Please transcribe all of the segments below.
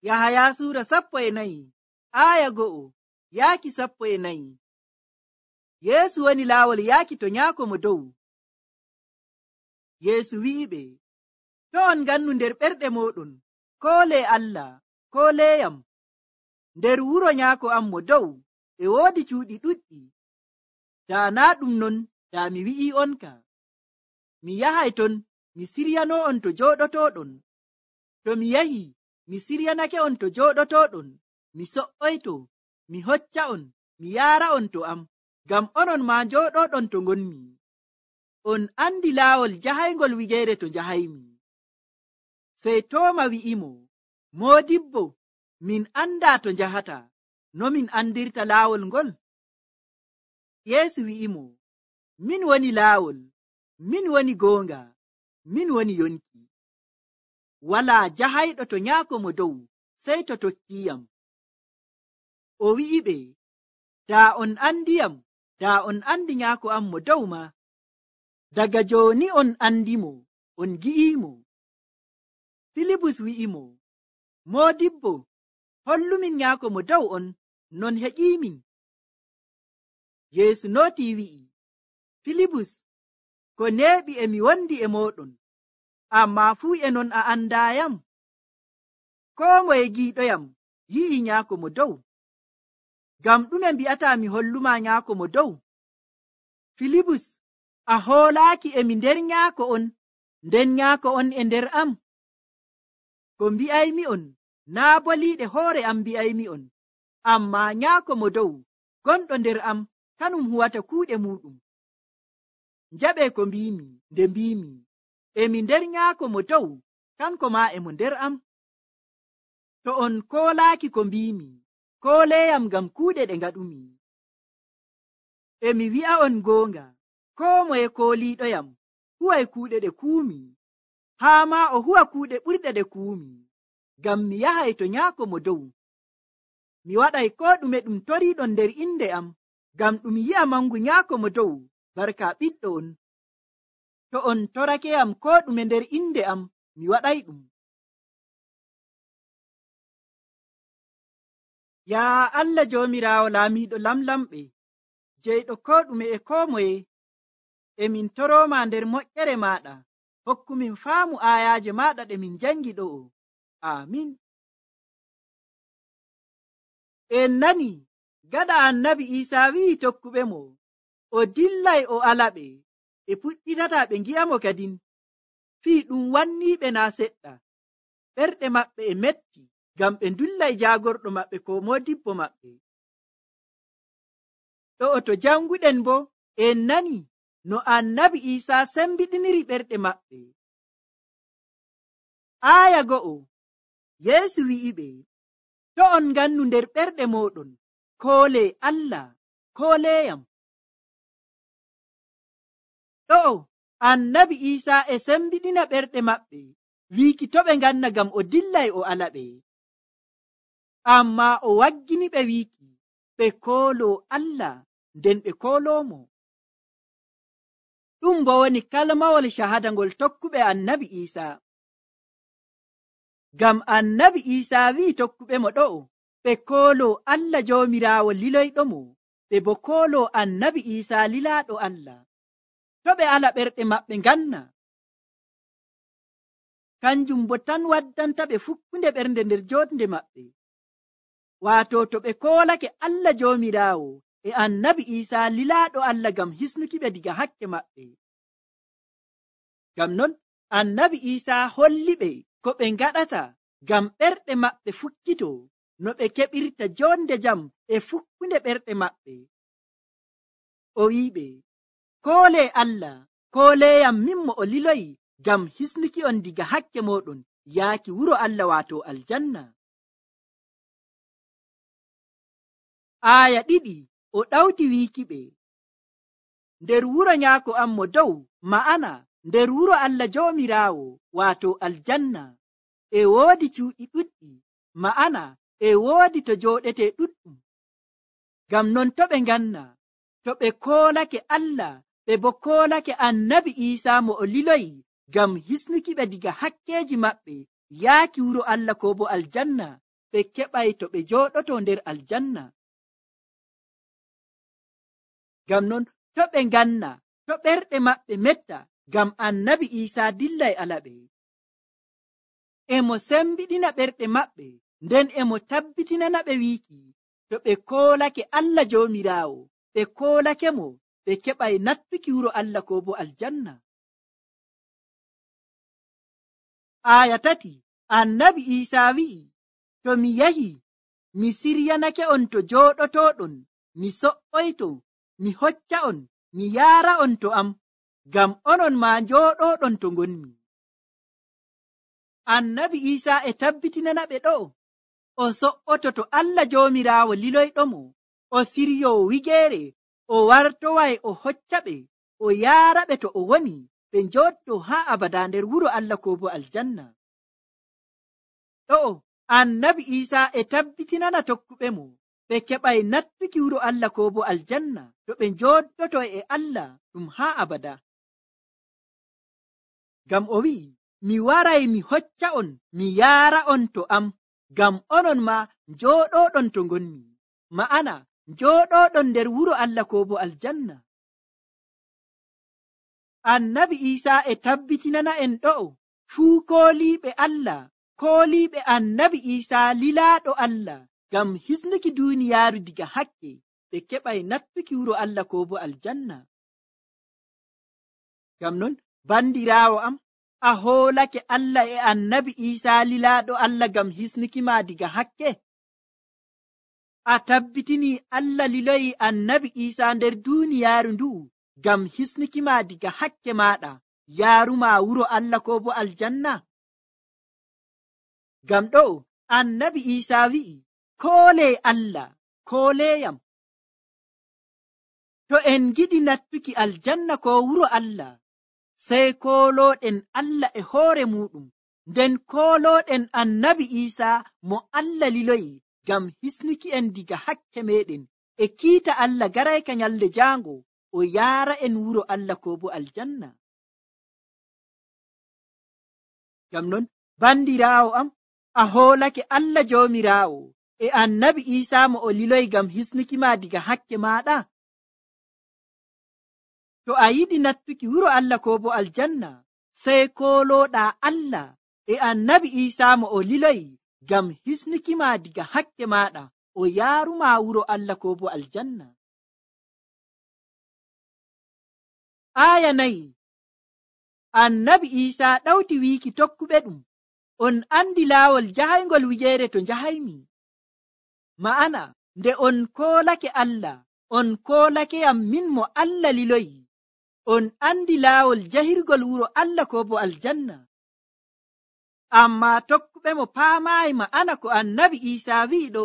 Yahaya sura 14 aya 1 yaaki 14. Yeesu woni laawol yaaki to nyaako mo dow. Yeesu wi'iɓe, to on ngannu nder ɓerɗe moɗon, koole Allah, kooleyam. Nder wuro nyaako am mo dow e woodi cuuɗi ɗuɗɗi. Daa naa ɗum non, daa mi wi'i onka. Mi yahay ton mi siryanoo'on to jooɗotooɗon. To mi yahi mi siryanake on to jooɗotooɗon, mi so''oyto mi hocca'on mi yaara'on to am, ngam onon maa njooɗoɗon to ngonmi. On andi laawol jahaygol wigeere to njahaymi. Sey Tooma wi'imo, Moodibbo, min andaa to njahata, no min andirta laawol ngol? Yeesu wi'imo, min woni laawol, min woni goonga, min woni yonki. Walaa jahayɗo to nyaako mo dow sey to tokkiyam. O wi'iɓe, daa on andiyam, daa on andi nyaako am mo dow ma. Daga jooni on andimo, on gi'iimo. Filibus wi'imo, Moodibbo, hollumin nyaako mo dow on, non heƴiimin. Yeesu nootii wi'i, Filibus, ko neeɓi e mi wondi e mooɗon, ammaa fuu e non a andaayam. Koo moye giiɗoyam yi'i nyaako mo dow. Ngam ɗume mbi'ataa mi holluma nyaako mo dow? Filibus, a hoolaaki e mi nder nyaako on, nden nyaako on e nder am. Ko mbi'aymi'on naa boliiɗe hoore am mbi'aymi'on, ammaa nyaako mo dow gonɗo nder am kanum huwata kuuɗe muuɗum. Njaɓee ko mbiimi nde mbiimi, e mi nder nyaako mo dow, kanko maa e mo nder am. To on koolaaki ko mbiimi, kooleyam ngam kuuɗe ɗe ngaɗumi. E mi wi'a'on goonga, koo moye kooliiɗoyam huway kuuɗe ɗe kuumi, haa maa o huwa kuuɗe ɓurɗe ɗe kuumi, ngam mi yahay to nyaako mo dow. Mi waɗay koo ɗume ɗum toriiɗon nder inde am, ngam ɗum yi'a mangu nyaako mo dow barka ɓiɗɗo on. To on torakeyam koo ɗume nder inde am, mi waɗay ɗum. Yaa Allah Joomiraawo laamiiɗo lamlamɓe, jeyɗo koo ɗume e koo moye, e min torooma nder moƴƴere maaɗa, hokkumin faamu aayaaje maaɗa ɗe min jangi ɗo'o. Aamin. En nani gaɗa Annabi Iisaa wi'i tokkuɓe mo, o dillay o alaɓe, e puɗɗitata ɓe ngi'amo kadin. Fii ɗum wanniiɓe naa seɗɗa. Ɓerɗe maɓɓe e metti, ngam ɓe ndullay jaagorɗo maɓɓe ko moodibbo maɓɓe. Ɗo'o to janguɗen bo, en nani no Annabi Iisaa sembiɗiniri ɓerɗe maɓɓe. Aaya 2, Yeesu wi'iɓe, to on ngannu nder ɓerɗe mooɗon, koole Allah, kooleyam. Ɗo'o Annabi Iisaa e sembiɗina ɓerɗe maɓɓe, wiiki to ɓe nganna ngam o dillay o alaɓe. Ammaa o waggini ɓe wiiki ɓe kooloo Allah, nden ɓe kooloomo. Ɗum bo woni kalmawol shahada ngol tokkuɓe Annabi Iisaa. Ngam Annabi Iisaa wi'i tokkuɓe mo ɗo'o, ɓe kooloo Allah Joomiraawo liloyɗomo, ɓe bo kooloo Annabi Iisaa lilaaɗo Allah. To ɓe ala ɓerɗe maɓɓe nganna, kanjum bo tan waddanta ɓe fukkunde ɓernde nder jootnde maɓɓe. Waato to ɓe koolake Allah Joomiraawo e Annabi Iisaa lilaaɗo Allah ngam hisnuki ɓe diga hakke maɓɓe. Ngam non Annabi Iisaa holli ɓe ko ɓe ngaɗata ngam ɓerɗe maɓɓe fukkito, no ɓe keɓirta jonde jam e fukkunde ɓerɗe maɓɓe. O wi'iɓe, koole Allah, kooleyam min mo o liloyi ngam hisnuki on diga hakke moɗon yaaki wuro Allah waato aljanna. Aaya 2, o ɗawti wiiki ɓe, nder wuro nyaako am mo dow, ma'ana nder wuro Allah Joomiraawo waato aljanna, e woodi cuuɗi ɗuɗɗi, ma'ana e woodi to jooɗete ɗuɗɗum. Ngam non to ɓe nganna, to ɓe koolake Allah, ɓe bo koolake Annabi Iisaa mo o liloyi ngam hisnuki ɓe diga hakkeeji maɓɓe yaaki wuro Allah ko bo aljanna, ɓe keɓay to ɓe jooɗoto nder aljanna. Ngam non to ɓe nganna, to ɓerɗe maɓɓe metta, ngam annabi Iisaa dillay alaɓe. Emo sembiɗina ɓerɗe maɓɓe, nden emo tabbitinana ɓe wiiki to ɓe koolake Allah Joomiraawo, ɓe koolake mo, ɓe keɓay nattuki wuro Allah ko bo aljanna. Aya 3, annabi Iisaa wi'i, to mi yahi mi siryanake on to jooɗotoɗon, mi so'oyto, mi hocca on, mi yaara on to am, ngam onon maa njooɗoɗon to ngonmi. Annabi Iisaa e tabbitinana ɓe ɗo o so'oto to Allah Joomiraawo liloyɗomo, o siryo wigeere, o wartoway o hocca ɓe, o yaara ɓe to o woni, ɓe njooɗo haa abada nder wuro Allah ko bo aljanna. Ɗo annabi Iisaa e tabbitinana tokkuɓe mo ɓe keɓay nattuki wuro Allah ko bo aljanna to ɓe njooɗoto e Allah ɗum haa abada. Ngam o wi'i, mi waray mi hocca on, mi yaara on to am, ngam onon ma njooɗoɗon to ngonmi, ma'ana njooɗoɗon nder wuro Allah ko bo aljanna. Annabi Iisaa e tabbitinana en ɗo fuu kooliiɓe Allah, kooliiɓe annabi Iisaa lilaaɗo Allah, ngam hisnuki duuniyaaru diga hakke, ɓe keɓay nattuki wuro Allah ko bo aljanna. Ngam non bandiraawo am, a hoolake Allah e annabi Iisaa lilaaɗo Allah ngam hisnuki ma diga hakke? A tabbitini Allah liloyi annabi Iisaa nder duuniyaaru ndu'u ngam hisnuki ma diga hakke maɗa, yaaruma wuro Allah ko bo aljanna? Ngam ɗo annabi Iisaa wi'i, koole Allah, kooleyam. To en giɗi nattuki aljanna ko wuro Allah, sey koolooɗen Allah e hoore muɗum, nden koolooɗen annabi Iisaa mo Allah liloyi ngam hisnuki en diga hakke meɗen e kiita Allah garayka nyalde jaango o yaara en wuro Allah ko bo aljanna. Ngam non bandiraawo am, a hoolake Allah Joomiraawo e annabi Iisaa mo o liloyi ngam hisnuki ma diga hakke maɗa? To a yiɗi nattuki wuro Allah ko bo aljanna, sey koolooɗa Allah e annabi Iisaa mo o liloyi ngam hisnuki ma diga hakke maɗa, o yaaruma wuro Allah ko bo aljanna. Aya 4, annabi Iisaa ɗawti wiiki tokkuɓe ɗum, on andi laawol jahaygol wigeere to njahaymi. Ma'ana nde on koolake Allah, on koolakeyam min mo Allah liloyi, on andi laawol jahirgol wuro Allah ko bo aljanna. Amma tokkuɓe mo paamaayi ma'ana ko annabi Iisaa wi'i ɗo.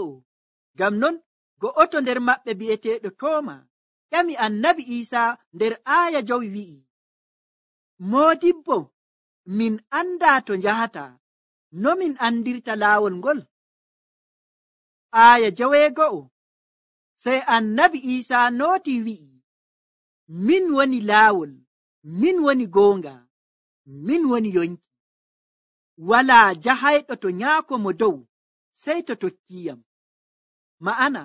Ngam non go'oto nder maɓɓe bi'eteeɗo Tooma ƴami annabi Iisaa nder aaya 5 wi'i, Moodibbo, min andaa to njahata, no min andirta laawol ngol? Aaya 6, sey annabi Iisaa nooti wi'i, min woni laawol, min woni goonga, min woni yonki. Walaa jahayɗo to nyaako mo dow sey to tokkiyam. Ma'ana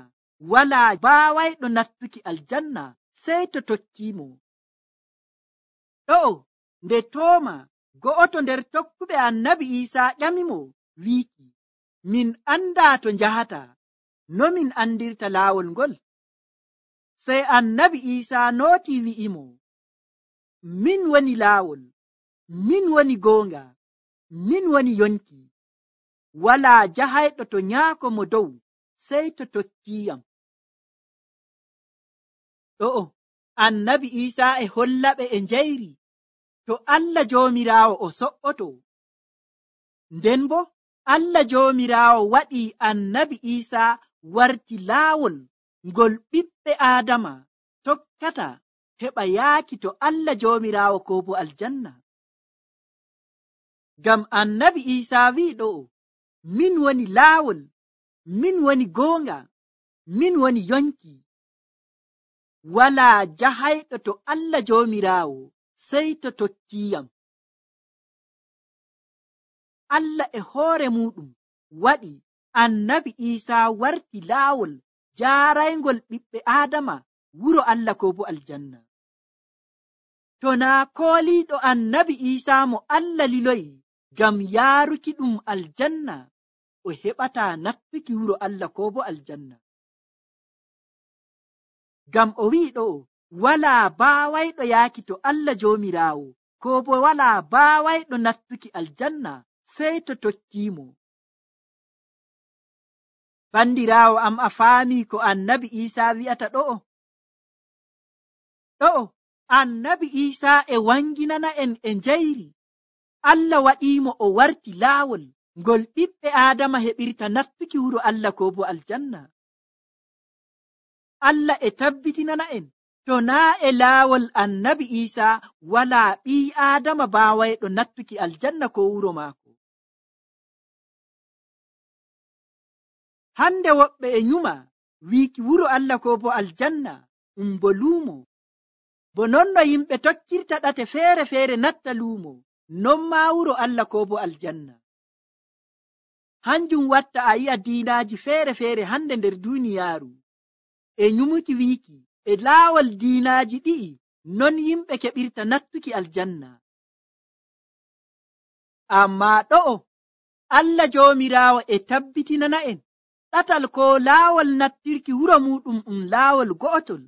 walaa baawayɗo nattuki aljanna sey to tokkimo. Ɗo nde Tooma go'oto nder tokkuɓe annabi Iisaa ƴamimo wiiki, min andaa to njahata, no min andirta laawol ngol? Sey annabi Iisaa nooti wi'imo, min woni laawol, min woni goonga, min woni yonki. Walaa jahayɗo to nyaako mo dow sey to tokkiyam. Ɗo annabi Iisaa e hollaɓe e njayri to Allah Joomiraawo o so'oto. Nden bo Allah Joomiraawo waɗi annabi Iisaa warti laawol ngol ɓiɓɓe Aadama tokkata heɓa yaaki to Allah Joomiraawo ko bo aljanna. Ngam annabi Iisaa wi'i ɗo, min woni laawol, min woni goonga, min woni yonki. Walaa jahayɗo to Allah Joomiraawo sey to tokkiyam. Allah e hoore muɗum waɗi annabi Iisaa warti laawol jaaraygol ɓiɓɓe Aadama wuro Allah ko bo aljanna. To naa kooliiɗo annabi Iisaa mo Allah liloyi ngam yaaruki ɗum aljanna, o heɓataa nattuki wuro Allah ko bo aljanna. Ngam o wi'i ɗo'o, walaa baawayɗo yaaki to Allah Joomiraawo, ko bo walaa baawayɗo nattuki aljanna sey to tokkiimo. Bandiraawo am, a faamii ko annabi Iisaa wi'ata ɗo'o? Ɗo'o annabi Iisaa e wanginana en e njayri. Allah waɗiimo o warti laawol ngol ɓiɓɓe Aadama heɓirta nattuki wuro Allah ko bo aljanna. Allah e tabbitinana en, to naa e laawol annabi Iisaa walaa ɓii Aadama baawayɗo nattuki aljanna ko wuro maako. Hande woɓɓe e nyuma wiiki wuro Allah ko bo aljanna bo luumo. Bo non no yimɓe tokkirta ɗate feere-feere natta luumo, non maa wuro Allah ko bo aljanna. Hanjum watta a yi'a diinaaji feere-feere hande nder duuniyaaru e nyumuki wiiki e laawol diinaaji ɗi'i non yimɓe keɓirta nattuki aljanna. Ammaa ɗo'o Allah Joomiraawo e tabbitinana en ɗatal ko laawol nattirki wuro muɗum laawol go'otol.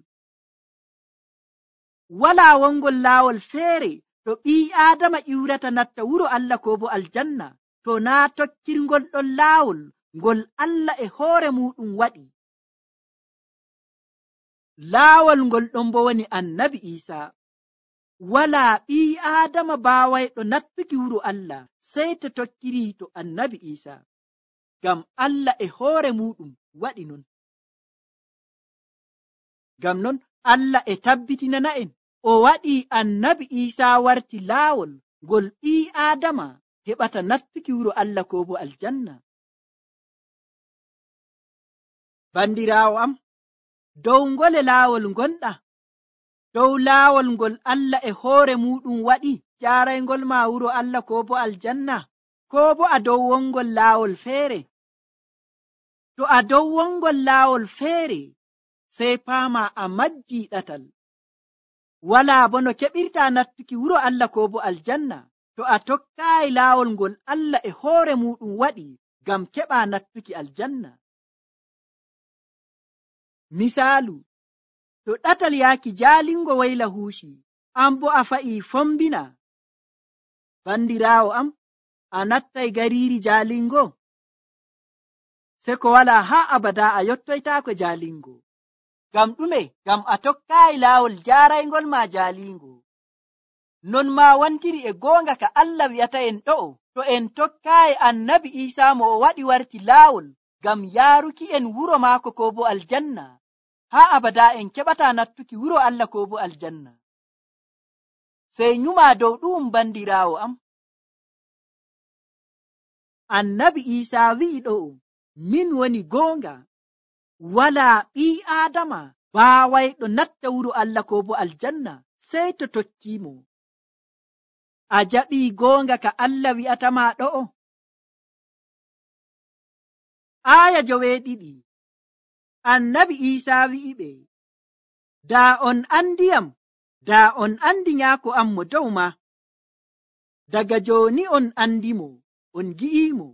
Walaa wongol laawol feere to ɓii Aadama iwrata natta wuro Allah ko bo aljanna, to naa tokkirgol ɗon laawol ngol Allah e hoore muɗum waɗi. Laawol ngol ɗon bo woni annabi Iisaa. Walaa ɓii Aadama baawayɗo nattuki wuro Allah sey to tokkiri to annabi Iisaa, ngam Allah e hoore muɗum waɗi non. Ngam non Allah e tabbitinana en o waɗi annabi Iisaa warti laawol ngol ɓii Aadama heɓata nattuki wuro Allah ko bo aljanna. Bandiraawo am, dow ngole laawol gonɗa? Dow laawol ngol Allah e hoore muɗum waɗi jaaraygol ma wuro Allah ko bo aljanna, ko bo a dow wongol laawol feere? To a dow wongol laawol feere, sey paama a majjii ɗatal. Walaa bo no keɓirta nattuki wuro Allah ko bo aljanna to a tokkaayi laawol ngol Allah e hoore muɗum waɗi ngam keɓa nattuki aljanna. Misaalu, to ɗatal yaaki jaalingo wayla huushi, an bo a fa'ii fombina. Bandiraawo am, a nattay gariiri jaalingo? Se ko walaa haa abada a yottoytaako jaalingo. Ngam ɗume? Ngam a tokkaayi laawol jaaraygol ma jaalingo. Non maa wantiri e goonga ka Allah wi'ata en ɗo'o, to en tokkaayi annabi Iisaa mo o waɗi warti laawol ngam yaaruki en wuro maako ko bo aljanna, haa abada en keɓataa nattuki wuro Allah ko bo aljanna. Sey nyumaa dow ɗum bandiraawo am. Annabi Iisaa wi'i ɗo'o, min woni goonga. Walaa ɓii Aadama baawayɗo natta wuro Allah ko bo aljanna sey to tokkiimo. A jaɓii goonga ka Allah wi'atama ɗo'o? Aaya 12. Annabi Iisaa wi'iɓe, daa on andiyam, daa on andi nyaako am mo dow ma. Daga jooni on andimo, on gi'iimo.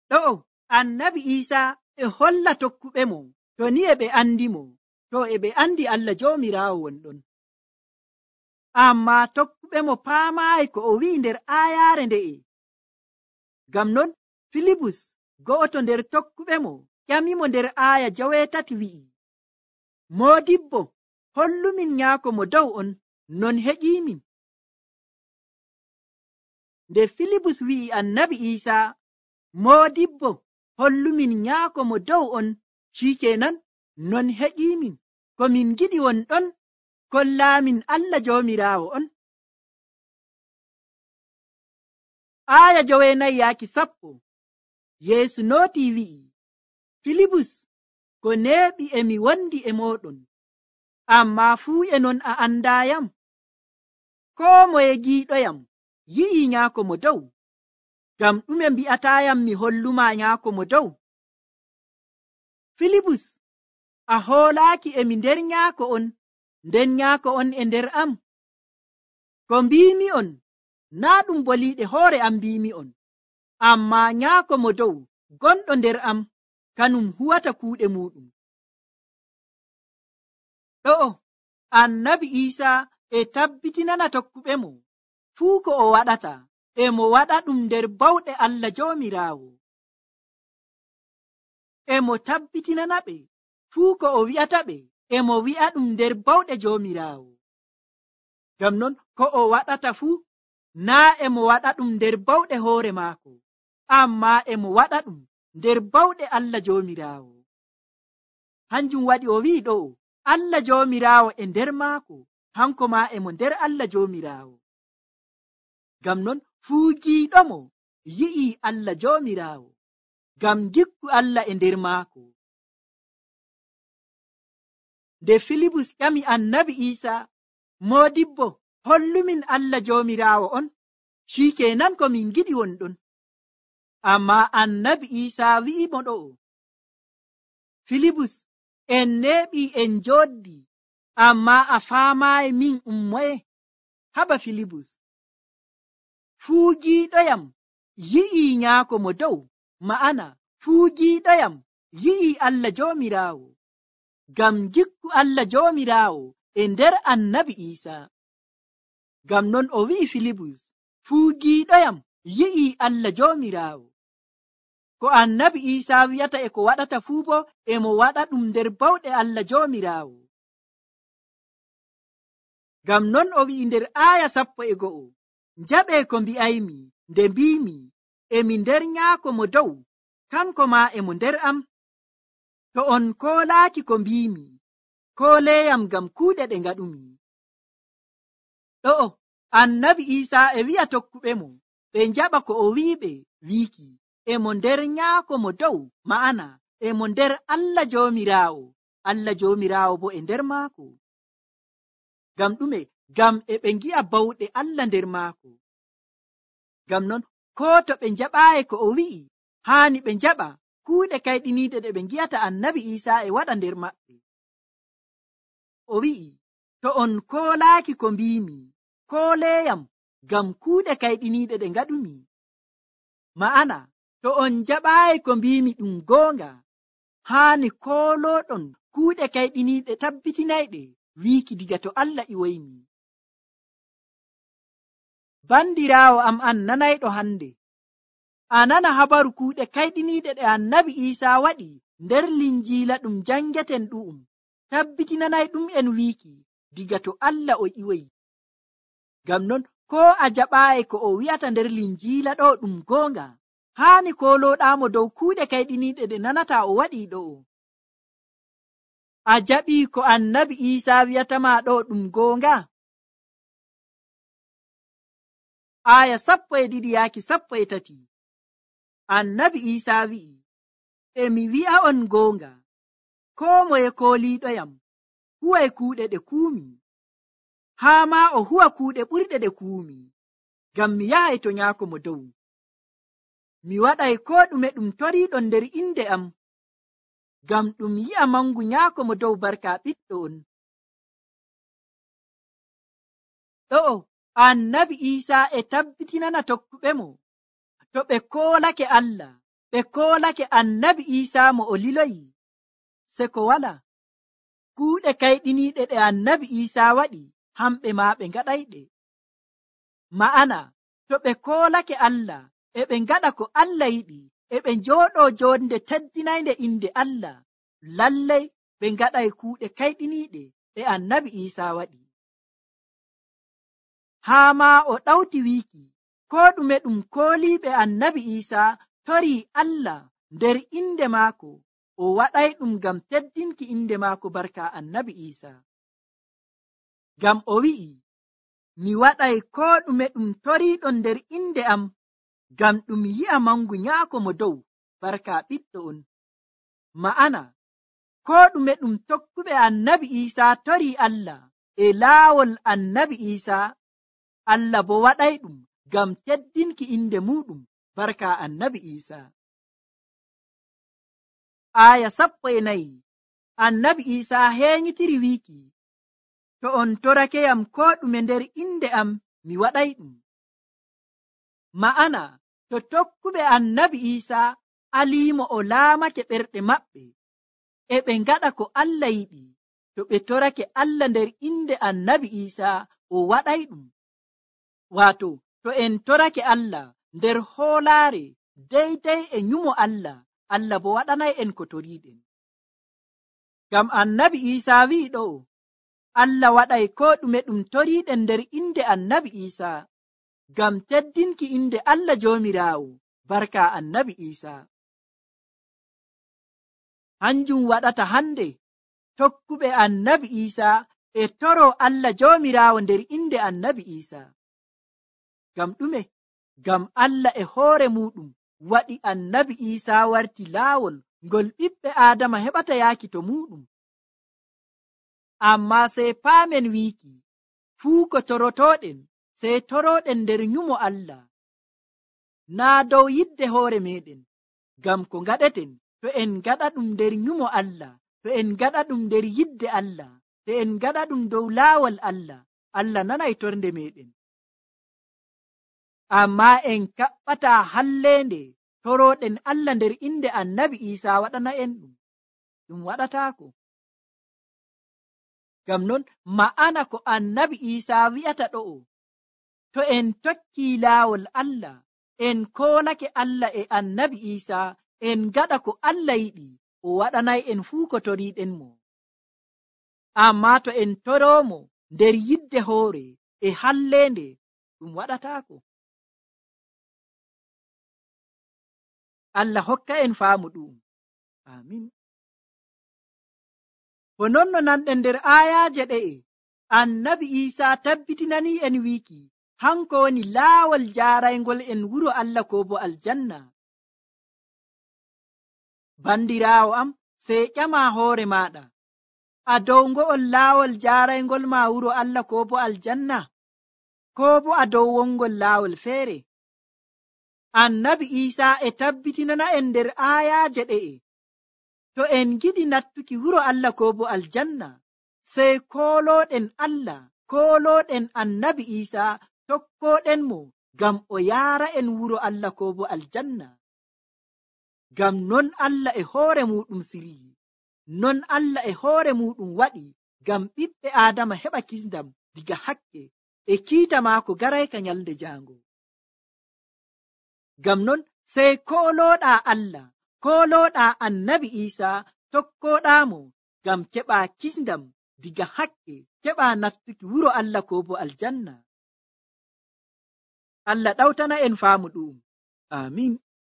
Ɗo'o annabi Iisaa e holla tokkuɓe mo, to ni e ɓe andimo, to e ɓe andi Allah Joomiraawo wonɗon. Ammaa tokkuɓe mo paamaayi ko o wi'i nder aayaare nde'e. Ngam non Filibus go'oto nder tokkuɓe mo ƴamimo nder aaya 8 wi'i, Moodibbo, hollumin nyaako mo dow on, non heƴiimin. Nde Filibus wi'i annabi Iisaa, Moodibbo, hollumin nyaako mo dow on, shikenan non heƴiimin. Ko min giɗi won ɗon, kollaamin Allah Joomiraawo on. Aaya 9-10 Yeesu nootii wi'i, Filibus, ko neeɓi emi wondi e mooɗon, ammaa fuu e non a andaayam. Koo moye giiɗoyam yi'ii nyaako mo dow. ngam ɗume mbi'atayam mi holluma nyaako mo dow? Filibus, a hoolaaki emi nder nyaako on, nden nyaako on e nder am? Ko mbiimi'on naa ɗum boliiɗe hoore am mbiimi'on, ammaa nyaako mo dow gonɗo nder am kanum huwata kuuɗe muɗum. Ɗo'o annabi Iisaa e tabbitinana tokkuɓe mo fuu ko o waɗata e mo waɗa ɗum nder bawɗe Allah Joomiraawo. E mo tabbitinana ɓe fuu ko o wi'ata ɓe e mo wi'a ɗum nder bawɗe Joomiraawo. Ngam non ko o waɗata fuu naa e mo waɗa ɗum nder bawɗe hoore maako, ammaa e mo waɗa ɗum nder bawɗe Allah Joomiraawo. Hanjum waɗi o wi'i ɗo'o Allah Joomiraawo e nder maako, hanko maa e mo nder Allah Joomiraawo. Ngam non fuu giiɗomo yi'ii Allah Joomiraawo, ngam gikku Allah e nder maako. Nde Filibus ƴami annabi Iisaa, Moodibbo, hollumin Allah Joomiraawo on, shikenan ko min giɗi wonɗon. Ammaa annabi Iisaa wi'i mo ɗo'o, Filibus, en neeɓii en njooɗdi, ammaa a faamaayi min moye? Haba Filibus, fuu giiɗoyam yi'ii nyaako mo dow, ma'ana fuu giiɗoyam yi'ii Allah Joomiraawo, ngam gikku Allah Joomiraawo e nder annabi Iisaa. Ngam non o wi'i Filibus, fuu giiɗoyam yi'ii Allah Joomiraawo. Ko annabi Iisaa wi'ata e ko waɗata fuu bo e mo waɗa ɗum nder bawɗe Allah Joomiraawo. Ngam non o wi'i nder aaya 11, njaɓee ko mbi'aymi nde mbiimi, emi nder nyaako mo dow, kanko maa e mo nder am. To on koolaaki ko mbiimi, kooleeyam ngam kuuɗe ɗe ngaɗumi. Ɗo'o annabi Iisaa e wi'a tokkuɓe mo ɓe njaɓa ko o wi'iɓe wiiki, e mo nder nyaako mo dow, ma'ana e mo nder Allah Joomiraawo, Allah Joomiraawo bo e nder maako. Ngam ɗume? Ngam e ɓe ngi'a bawɗe Allah nder maako. Ngam non koo to ɓe njaɓaayi ko o wi'i, haani ɓe njaɓa kuuɗe kayɗiniiɗe ɗe ɓe ngi'ata annabi Iisaa e waɗa nder maɓɓe. O wi'i, to on koolaaki ko mbiimi, kooleeyam ngam kuuɗe kayɗiniiɗe ɗe ngaɗumi. Ma'ana to on njaɓaayi ko mbiimi ɗum goonga, haani koolooɗon kuuɗe kayɗiniiɗe tabbitinayɗe wiiki diga to Allah iwoymi. Bandiraawo am an nanayɗo hande, a nana habaru kuuɗe kayɗiniiɗe ɗe annabi Iisaa waɗi nder linjiila ɗum jangeten ɗu'um, tabbitinanay ɗum en wiiki diga to Allah o iwoyi. Ngam non ko a jaɓaayi ko o wi'ata nder linjiila ɗo ɗum goonga, haani kolooɗaamo dow kuuɗe kayɗiniiɗe ɗe nanata o waɗi ɗo'o. A jaɓii ko annabi Iisaa wi'atama ɗo ɗum goonga? Aya 12-13 annabi Iisaa wi'i, emi wi'a on goonga, koo moye kooliiɗoyam huway kuuɗe ɗe kuumi, haa maa o huwa kuuɗe ɓurɗe ɗe kuumi, ngam mi yahay to nyaako mo dow. Mi waɗay koo ɗume ɗum toriiɗon nder inde am, ngam ɗum yi'a mangu nyaako mo dow barka ɓiɗɗo on. Ɗo'o annabi Iisaa e tabbitinana tokkuɓe mo, to ɓe koolake Allah, ɓe koolake annabi Iisaa mo o liloyi, se ko wala kuuɗe kayɗiniiɗe ɗe annabi Iisaa waɗi, hamɓe maa ɓe ngaɗayɗe. Ma'ana to ɓe koolake Allah, e ɓe ngaɗa ko Allah yiɗi, e ɓe njooɗoo joonde teddinaynde inde Allah, lallay ɓe ngaɗay kuuɗe kayɗiniiɗe ɗe annabi Iisaa waɗi. Haa maa o ɗawti wiiki, koo ɗume ɗum kooliiɓe annabi Iisaa torii Allah nder inde maako, o waɗay ɗum ngam teddinki inde maako barka annabi Iisaa. Ngam o wi'i, mi waɗay koo ɗume ɗum toriiɗon nder inde am, ngam ɗum yi'a mangu nyaako mo dow barka ɓiɗɗo on. Ma'ana koo ɗume ɗum tokkuɓe annabi Iisaa torii Allah e laawol annabi Iisaa, Allah bo waɗay ɗum ngam teddinki inde muɗum barka annabi Isa. Aya 14 annabi Isa henyitiri wiiki, to on torakeyam ko ɗume nder inde am mi waɗay ɗum. Ma'ana to tokkuɓe annabi Isa aliimo o laamake ɓerɗe maɓɓe e ɓe ngaɗa ko Allah yiɗi, to ɓe torake Allah nder inde annabi Isa o waɗay ɗum. Waato to en torake Allah nder hoolaare deydey e nyumo Allah, Allah bo waɗanay en ko toriiɗen. Ngam annabi Isa wi'i ɗo, Allah waɗay ko ɗume ɗum toriiɗen nder inde annabi Isa, ngam teddinki inde Allah Joomiraawo, barka annabi Isa. Hanjum waɗata hande tokkuɓe annabi Isa e toro Allah Joomiraawo nder inde annabi Isa. Ngam ɗume? Ngam Allah e hoore muɗum waɗi annabi Isa warti laawol ngol ɓiɓɓe Aadama heɓata yaaki to muɗum. Amma sey paamen wiiki, fuu ko torotoɗen sey toroɗen nder nyumo Allah, naa dow yidde hoore meɗen. Ngam ko ngaɗeten, to en ngaɗa ɗum nder nyumo Allah, to en ngaɗa ɗum nder yidde Allah, to en ngaɗa ɗum dow laawol Allah, Allah nanay torde meɗen. Amma en kaɓɓata halleende toroɗen Allah nder inde annabi Isa waɗana en ɗum waɗataako. Ngam non ma'ana ko annabi Isa wi'ata ɗo'o, to en tokki laawol Allah, en koolake Allah e annabi Isa, en gaɗa ko Allah yiɗi, o waɗanay en fuu ko toriiɗen mo. Amma to en toroomo nder yidde hoore e halleende, ɗum waɗataako. Allah hokka en faamu ɗum. Amin. Bo non no nanɗen nder ayaaje ɗe'e, annabi Isa tabbitinani en wiiki, hanko woni laawol jaaraygol en wuro Allah ko bo aljanna. Bandiraawo am, sey ƴama hoore maɗa, a dow ngo'ol laawol jaaraygol ma wuro Allah ko bo aljanna, ko bo a dow wongol laawol feere? Annabi Isa e tabbitinana en nder ayaaje ɗe'e, to en giɗi nattuki wuro Allah ko bo aljanna, sey kooloɗen Allah, kooloɗen annabi Isa, tokkoɗen mo ngam o yaara en wuro Allah ko bo aljanna. Ngam non Allah e hoore muɗum siriyi, non Allah e hoore muɗum waɗi ngam ɓiɓɓe Aadama heɓa kisndam diga hakke e kiita maako garayka nyalde jaango. Ngam non sey kooloɗa Allah, kooloɗa annabi Isa, tokkoɗamo ngam keɓa kisndam diga hakke, keɓa nattuki wuro Allah ko bo aljanna. Allah ɗawtana en faamu ɗum. Amin.